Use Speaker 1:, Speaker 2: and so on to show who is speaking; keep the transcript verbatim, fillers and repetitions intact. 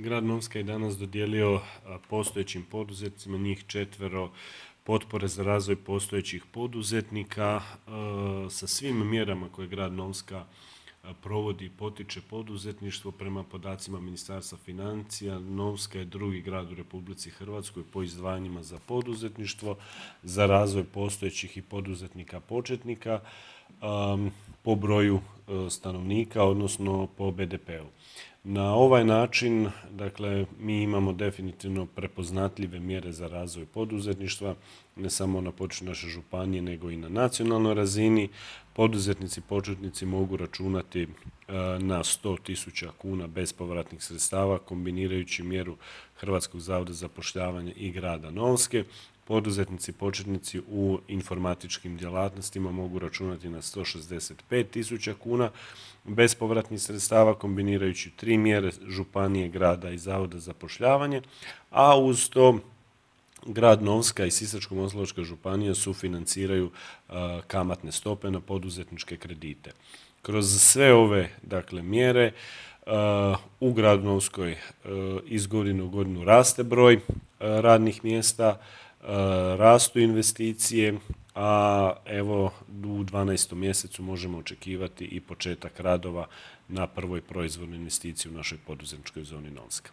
Speaker 1: Grad Novska je danas dodijelio postojećim poduzetnicima, njih četvero, potpore za razvoj postojećih poduzetnika sa svim mjerama koje grad Novska provodi i potiče poduzetništvo. Prema podacima Ministarstva financija, Novska je drugi grad u Republici Hrvatskoj po izdvajanjima za poduzetništvo, za razvoj postojećih i poduzetnika početnika po broju stanovnika, odnosno po be de pe u. Na ovaj način, dakle, mi imamo definitivno prepoznatljive mjere za razvoj poduzetništva, ne samo na području naše županije, nego i na nacionalnoj razini. Poduzetnici početnici mogu računati na sto tisuća kuna bespovratnih sredstava, kombinirajući mjeru Hrvatskog zavoda za zapošljavanje i grada Novske. Poduzetnici početnici u informatičkim djelatnostima mogu računati na sto šezdeset pet tisuća kuna bespovratnih sredstava, kombinirajući tri mjere županije, grada i zavoda za zapošljavanje, a uz to grad Novska i Sisačko-moslavačka županija sufinanciraju kamatne stope na poduzetničke kredite. Kroz sve ove, dakle, mjere u gradu Novskoj iz godine u godinu raste broj radnih mjesta, rastu investicije, a evo u dvanaestom mjesecu možemo očekivati i početak radova na prvoj proizvodnoj investiciji u našoj poduzetničkoj zoni Novska.